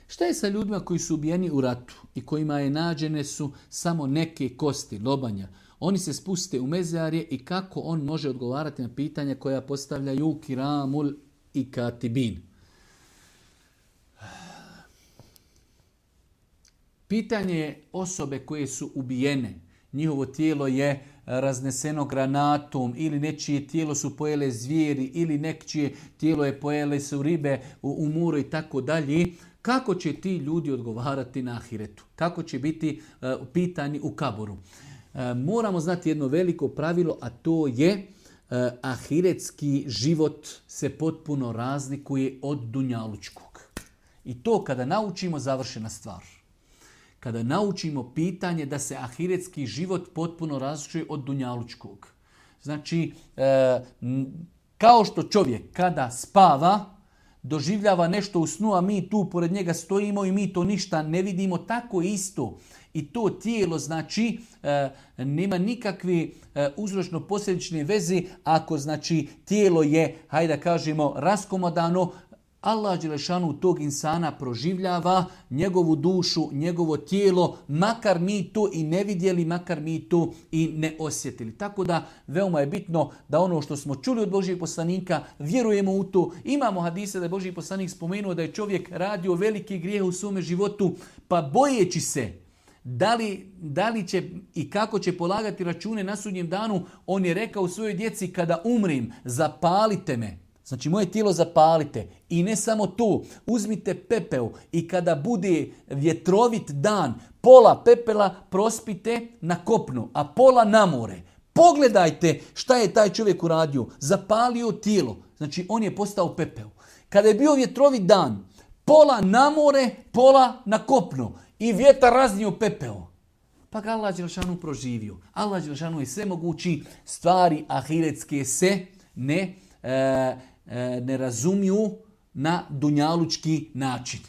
Šta je sa ljudima koji su ubijeni u ratu i kojima je nađene su samo neke kosti, lobanja? Oni se spuste u mezarje i kako on može odgovarati na pitanja koja postavljaju kiramul i katibin? Pitanje je osobe koje su ubijene. Njihovo tijelo je razneseno granatom ili nečije tijelo su pojele zvijeri ili nečije tijelo je pojele su ribe u moru i tako dalje. Kako će ti ljudi odgovarati na ahiretu? Kako će biti pitani u kaboru? Moramo znati jedno veliko pravilo, a to je ahiretski život se potpuno razlikuje od dunjalučkog. I to kada naučimo, završena stvar. Kada naučimo pitanje da se ahiretski život potpuno razlikuje od dunjalučkog. Znači, kao što čovjek kada spava, doživljava nešto u snu, a mi tu pored njega stojimo i mi to ništa ne vidimo, tako isto. I to tijelo, znači, nema nikakve uzročno-posljedične veze ako, znači, tijelo je, hajde da kažemo, raskomodano. Allah dželešanu tog insana proživljava, njegovu dušu, njegovo tijelo, makar mi to i ne vidjeli, makar mi to i ne osjetili. Tako da veoma je bitno da ono što smo čuli od Božijeg poslanika, vjerujemo u to. Imamo hadise da je Božji poslanik spomenuo da je čovjek radio veliki grijeh u svome životu, pa bojeći se da li će i kako će polagati račune na sudnjem danu, on je rekao svojoj djeci, kada umrim, zapalite me. Znači, moje tijelo zapalite. I ne samo to, uzmite pepeo i kada bude vjetrovit dan, pola pepela prospite na kopnu, a pola na more. Pogledajte šta je taj čovjek uradio. Zapalio tijelo. Znači, on je postao pepeo. Kada je bio vjetrovit dan, pola na more, pola na kopnu. I vjetar raznio pepeo. Pa ga Allah dželešanu proživio. Allah dželešanu je sve mogući, stvari ahiretske se ne razumiju na dunjalučki način.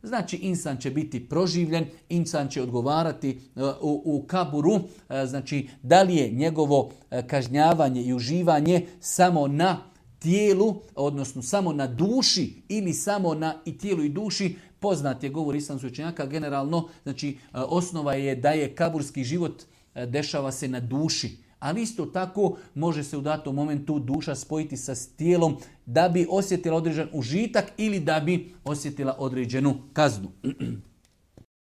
Znači, insan će biti proživljen, insan će odgovarati u kaburu, znači, da li je njegovo kažnjavanje i uživanje samo na tijelu, odnosno samo na duši ili samo na i tijelu i duši. Poznat je govor islamskih učenjaka generalno, znači, osnova je da je kaburski život dešava se na duši. Ali isto tako može se u datom momentu duša spojiti sa tijelom da bi osjetila određen užitak ili da bi osjetila određenu kaznu.